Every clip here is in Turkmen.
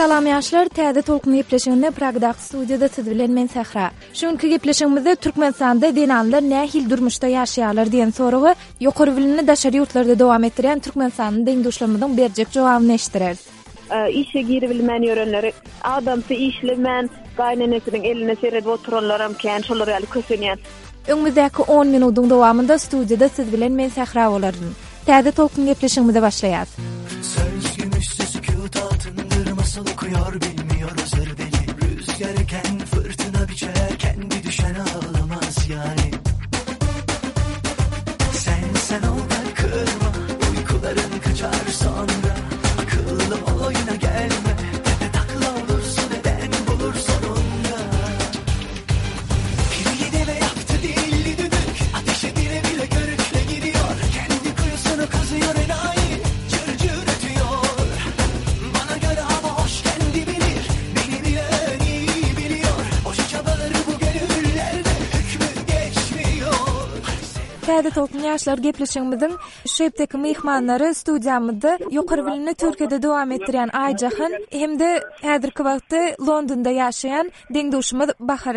Salam ýaşlar, Täze Tolkun gepleşiginde Pragdaky studiýada siz bilen men Sähra. Şu günki gepleşigimizde Türkmenistanda zenanlar nähili durmuşda ýaşaýarlar diýen soraga ýokary bilimini daşary ýurtlarda dowam etdirýän türkmenistanly deň-duşlarymyzyň berjek jogabyny eşitdireris. Işe giribilmän ýörenleri, adamsy işlemän, gaýynenesiniň eline seredip oturanlaram kän, şolar ýaly kösenýän. Öňümizdäki on minudyň dowamynda studiýada siz bilen men Sähra bolaryn. Täze Tolkun gepleşigimize başlaýas. Söz gümüşse sükut altındır Masal okuyor bilmiyor özür deli Rüzgar eken fırtına biçer Kendi düşen ağlamaz yani Sen sen ol da kırma Uykuların kaçar sonra Akıllı ol oyuna gelme Tepe takla olursun eden bulur sonunda Täze Tolkun ýaşlar gepleşigimiziň şu hepdeki myhmanlary studiýamyzda ýokary bilimini Türkiýede dowam etdirýän Aýjahan hem-de häzirki wagtda Londonda ýaşaýan Deň-duşumyz Bahar,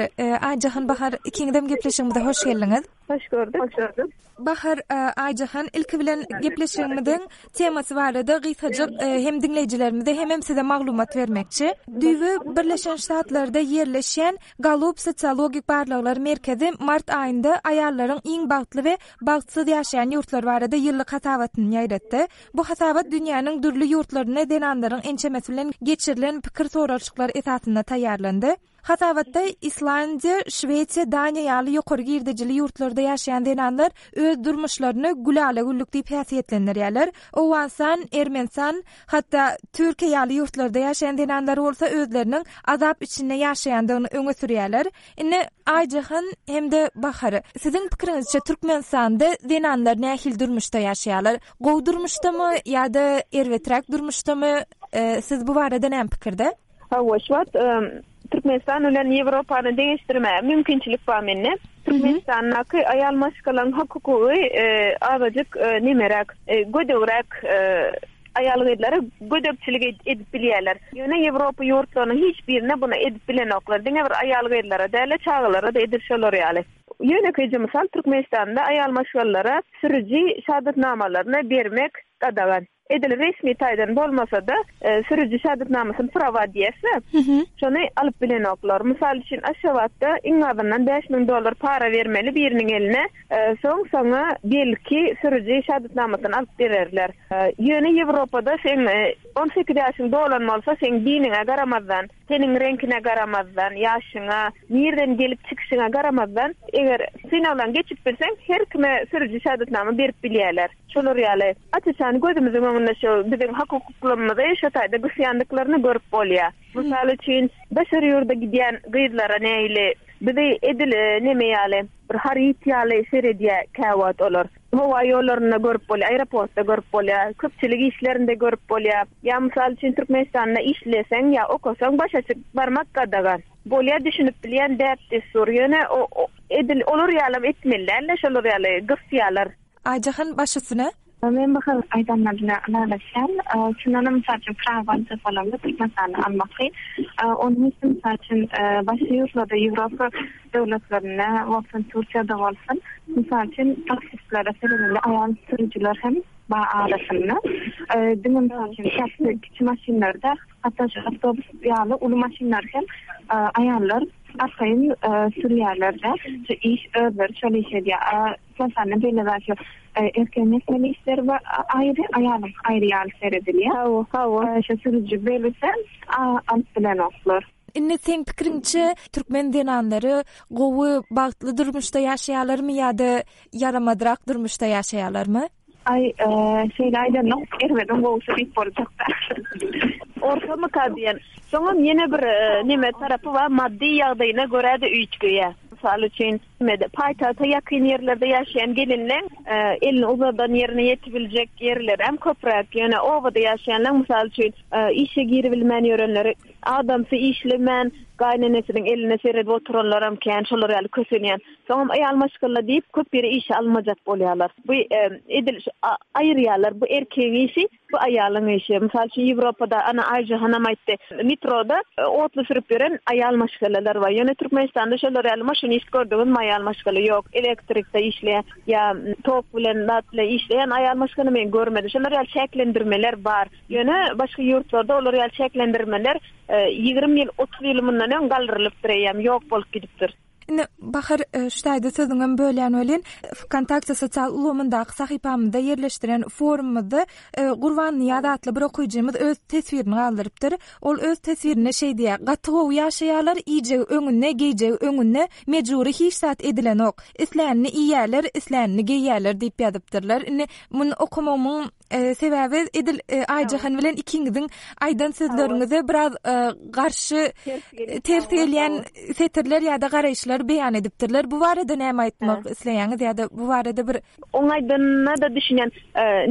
Aýjahan Bahar ikiňizem gepleşigimize hoş geldiňiz. Hoş gördük. Hoş gördük. Bahar, Aýjahan ilki bilen gepleşigimiziň temasy barada gysgajyk hem diňleýjilerimize hemem size maglumat bermekçi. Düýbi Birleşen Ştatlarda ýerleşýän Gallup sosiologik barlaglar merkezi mart aýynda aýallaryň iň bagtly we bagtsyz ýaşaýan ýurtlary barada ýyllyk hasabatyny ýaýratdy. Bu hasabat dünýäniň dürli ýurtlarynda zenanlaryň ençemesi bilen geçirilen pikir soralyşyklar esasynda taýýarlandy. Hasabatda Islandiýa, Şwesiýa, Daniýa ýaly ýokary girdejili ýurtlarda ýaşaýan zenanlar öz durmuşlaryny gülala-güllük diýip häsiýetlendirýärler. Owganystan, Ermenistan, hatda Türkiýe ýaly ýurtlarda ýaşaýan zenanlar bolsa özleriniň azap içinde ýaşaýandygyny öňe sürýärler. Indi Aýjahan hem-de Bahar, siziň pikiriňizçe Türkmenistanda zenanlar nähili durmuşda ýaşaýarlar? Gowy durmuşdamy ýa-da erbeträk durmuşdamy? Siz bu barada näme pikirde? Hawa, şu wagt Türkmenistan bilen Ýewropany deňeşdirmäge mümkinçilik bar mende. Türkmenistandaky aýal maşgalaň hak-hukugy azajyk nemeräk, gödegräk Aýal-gyzlara gödekçilik edip bilýärler. Ýöne Ýewropa ýurtlarynyň hiç birinde buny edip bilenoklar. Diňe bir aýal-gyzlara däl-de, çagalara-da edil şolar ýaly. Ýönekeýje mysal, Türkmenistanda aýal maşgalalara sürüji şahadatnamalaryny bermek gadagan. Edil resmi taýdan bolmasa-da, sürüji şahadatnamasyny prawa diýýäs-de, şony alyp bilenoklar. Mysal üçin, Aşgabatda iň azyndan 5000 dollar para bermeli biriniň eline, Soň saňa belki sürüji şahadatnamasyny alyp bererler. Ýöne Ýewropada seň 18 ýaşyň dolan bolsa, seň diniňe garamazdan, teniň reňkine garamazdan, ýaşyňa, nirden gelip çykyşyňa garamazdan, eger synagdan geçip bilseň, her kime sürüji şahadatnama berip bilýärler. Şolar ýaly aç-açan gözümiziň öňünde şu biziň hak-hukuklarymyzy şo taýda gysýandyklaryny görüp bolýar. Mysal üçin, daşary ýurda gidýän gyzlara nähili bizi edil neme ýaly, Bir haryt ýaly seredýär käwagt olar. Howa ýollarynda görüp bolýar, aeroportda görüp bolýar, köpçülik işlerinde görüp bolýar. Ýa mysal üçin Türkmenistanda işleseň ýa okasaň baş açyk barmak gadagan. Bolýar düşünip bilýän däp-dessur ýöne edil olar ýalam etmeli däl-de şolar ýaly gysýalar. Aýjahan baş üstüne. Men bu hyz aýdanlar bilen ylalaşýan. Çyndanam mysal üçin prawa aljak bolamda Türkmenistanda almak kyn. Onuň üçin mysal üçin başga ýurtlarda Ýewropa döwletlerinde bolsun Türkiýede bolsun mysal üçin taksistlere seredende aýal sürüjiler hem bar arasynda. Diňe mysal üçin taksi kiçi maşynlar däl hatda şu awtobus ýaly uly maşynlary hem aýallar arkaýyn sürýärler-de. Şu iş özleri şol iş edýär. Türkmenistanda beýle zat ýok. Erkegiň etmeli işleri bar aýry, aýalyňky aýry ýaly seredilýär. Hawa, hawa. Şo sürüji bellese alyp bilenoklar. Indi seň pikiriňçe türkmen zenanlary gowy bagtly durmuşda ýaşaýarlarmy ýa-da ýaramazrak durmuşda ýaşaýarlarmy? Aý, şeýle aýdanok, erbediň gowusy diýip boljak-da. Ortamyka diýen. Soňam ýene bir neme tarapy bar, maddy ýagdaýyna görä-de üýtgeýär. Mysal üçin. Mede paýtagta ýakyn ýerlerde ýaşaýan gelinleň elini uzadan ýerine ýetibiljek ýerlerem köpräk. Ýöne obada ýaşaýanlaň, mysal üçin, işe giribilmän ýörenleri, adamsy işlemän, gaýynenesiniň eline seredip oturanlaram kän, şolar ýaly kösenýän. Soňam aýal maşgala diýip, köp ýere işe almajak bolýarlar. Bu edil şu aýyrýarlar, bu erkegiň işi, Bu aýalyň işi. Mysal üçin, Ýewropada, ana, Aýjahanam aýtdy, metroda otly sürüp ýören aýal maşgalalar bar. Ýöne Türkmenistanda şolar ýaly maşinist gördüňizmi aýal maşgala? Ýok. Elektrikde işleýän ýa tok bilen, zat bilen işleýän aýal maşgala men görmedim. Şolar ýaly çäklendirmeler bar. Ýöne başga ýurtlarda olar ýaly çäklendirmeler 20 ýyl, 30 ýyl mundan öň galdyrylypdyr eýýäm, ýok bolup gidipdir. Indi Bahar e, şu taýda sözüňem bölýän welin, Wkontakte sosial ulgamyndaky sahypamyzda ýerleşdiren forumymyzda e, Gurban Nyýaz atly bir okyjymyz öz teswirini galdyrypdyr. Ol öz teswirinde şeý diýýär, Gaty gowy ýaşaýarlar, iýjegi öňünde, geýjegi öňünde, mejbury hiç zat edilenok. Islänini iýýärler, islänini geýýärler diýip ýazypdyrlar. Indi muny okamagymyň Sebäbi edil Aýjahan bilen ikiňiziň aýdan sözleriňize biraz garşy ters gelýän setirler ýa-da garaýyşlar beýan edipdirler. Bu barada näme aýtmak isleýäňiz ýa-da bu barada bir Oň aýdanyna-da düşünýän.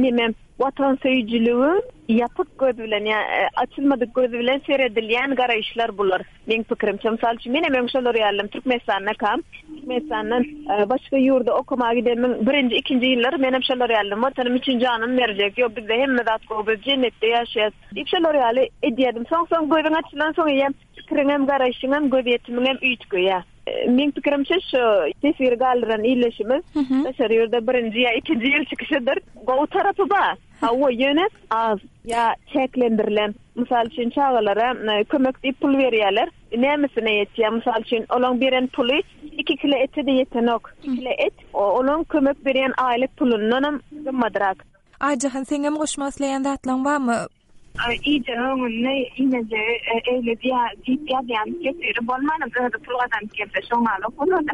Neme, watansöýüjiligiň ýapyk göz bilen ýa açylmadyk göz bilen seredilýän garaýyşlar bular. Meň pikirimçe, mysal üçin, menem öň şolar ýalydym, Türkmenistandakam, Türkmenistandan başga ýurda okamaga gidenimiň birinji, ikinji ýyllary menem şolar ýalydym, Watanym üçin janymy berjek, ýok, bizde hemme zat gowy, biz jennetde ýaşaýas diýip şolar ýaly edýärdim. Soň-soň gözüň açylansoň eýýäm pikiriňem, garaýşyňam, gözýetimiňem üýtgeýär. Meň pikirimçe, şu teswiri galdyran ildeşimiz daşary ýurda birinji ýa ikinji ýyl çykyşydyr. Gowy tarapy bar. Hawa, ýöne az ýa çäklendirilen. Mysal üçin, çagalara kömek diýip pul berýärler. Nämesine ýetýär? Mysal üçin, olaň beren puly iki kile ete-de ýetenok. Iki kile et olaň kömek berýän aýlyk pulundanam gymmadrak. Aýjahan, seňem goşmak isleýän zatlaň barmy? Iýjegi öňünde iýmejegi eýle diýip ýazýan teswiri bolmanam özi pul gazanyp gelse şoňňalak bolarda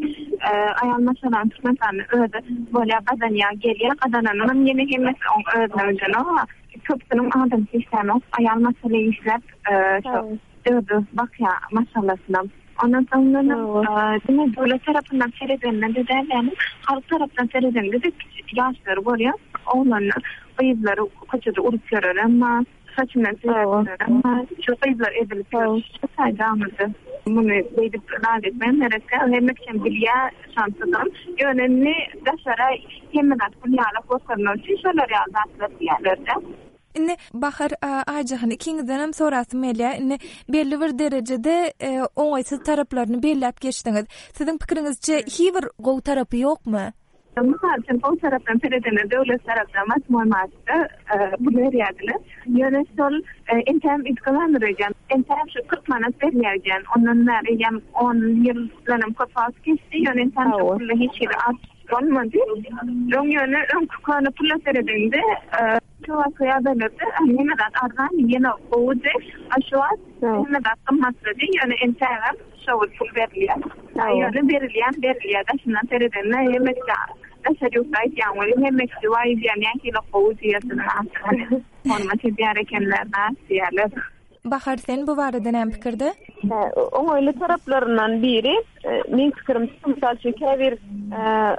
aýal maşgalanyň Türkmenistanda özi bolýa gazanýa gelýä gazananynam ýene hemmesi oň özüne ödenok köpüsiniň adamsy işlänok aýal maşgala işläp şo özi bakýa maşgalasyna ondan soň diňe döwlet tarapyndan seredende däl ýagny halk tarapdan seredende-de ýaşlary görýäs oglanlar Gyzlary köçede urup ýörerem bar, saçyndan süýräp ýörerem bar. Şu gyzlar ezilip ýör. Şu taýda aňyrda. Muny beýdip zat etmegem gerek däl. Hemme kişem bilýär şonsuzam. Ýöne indi daşara hemme zat gül ýalak görkezmek üçin şolar ýaly zatlar diýýärler-dä. Indi Bahar, Aýjahan ikiňizdenem sorasym gelýär. Indi belli bir derejede oňaýsyz taraplaryny belläp geçdiňiz. Siziň pikiriňizçe hiý bir gowy tarapy ýokmy? Mysal üçin, gowy tarapdan seredende döwlet tarapdan wasmoý martda pul berýärdiler. Ýöne şol entäm üýtgemändir öýdýän. Entäm şu 40 manat berilýär öýdýän. Ondan bäri eýýäm on ýyldanam köp wagt geçdi. Ýöne entäm şo pulda hiç hili artyş bolmady. Öň ýöne öňki köne pula seredeňde şo wagtky ýagdaýlarda hemme zat arzan, ýene gowudy. A şu wagt hemme zat gymmatlady. Ýöne entägem Şo gün pul berilýär. Ýöne berilýän berilýär. Daşyndan seredende hemme kişi daşary ýurtda aýtýan welin hemme kişi waý diýýär nähili gowy diýersiň ahyry. Hormat edýär ekenler zat diýýärler. Bahar sen bu barada näme pikirde? Oňaýly taraplaryndan biri meň pikirimçe mysal üçin käbir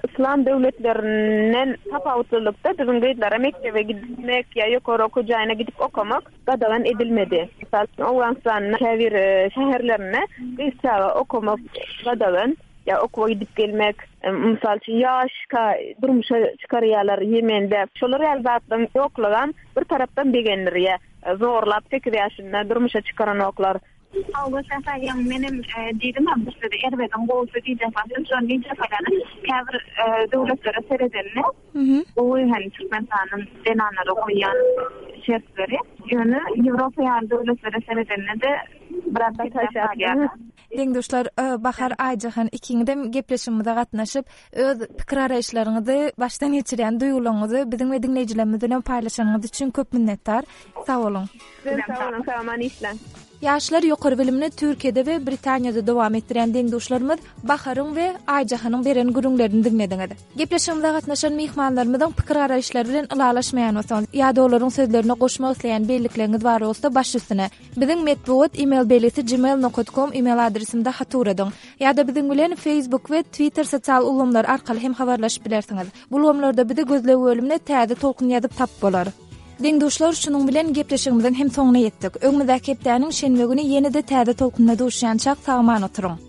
yslam döwletlerinden tapawutlylykda biziň gyzlara mekdebe gitmek ýa ýokary okuw jaýyna gidip okamak gadagan edilmedi. Mysal üçin, Owganystanyň käbir şäherlerinde gyz çaga okamak gadagan, ýa okuwa gidip gelmek, mysal üçin, ýaşka durmuşa çykarýarlar Ýemende. Şolar ýaly zatlaryň ýoklugam bir tarapdan begendirýär. Zorlap sekiz ýaşynda durmuşa çykaranoklar. Hawa Säher ýaňy menem diýdim-ä bu sözi erbediň gowusy diýjek bolsam şony diýjek bolýan. Käbir döwletlere seredende gowy hem Türkmenistanyň zenanlara goýýan şertleri. Ýöne Ýewropa ýaly döwletlere seredende-de biraz pesräk galýar. Deň-duşlar Bahar Aýjahan ikiňizem gepleşigimize gatnaşyp, öz pikir-garaýyşlaryňyzy, başdan geçirýän duýgularyňyzy biziň we diňleýjilerimiz bilen paýlaşanyňyz üçin köp minnetdar. Sag boluň. Sizem sag boluň, sag-aman işläň. Ýaşlar ýokary bilimini Türkiýede we Britaniýada dowam etdirýän deň-duşlarymyz Baharyň we Aýjahanyň beren gürrüňlerini diňlediňiz. Gepleşigimize gatnaşan myhmanlarymyzyň pikir-garaýyşlary bilen ylalaşmaýan bolsaňyz ýa-da olaryň sözlerine goşmak isleýän bellikleriňiz bar bolsa baş üstüne. Biziň metbugat email belgisi gmail nokat kom email adresimde hat ugradyň. Ýa-da biziň bilen Facebook we Twitter sosial ulgamlary arkaly hem habarlaşyp bilersiňiz. Bu ulgamlarda bizi gözleg bölümine Täze tolkun ýazyp tapyp bolar. Deň-duşlar şunuň bilen gepleşigimiziň hem soňuna ýetdik. Öňümizdäki hepdäniň şenbe güni ýene-de Täze tolkunda duşýançak sag-aman oturyň.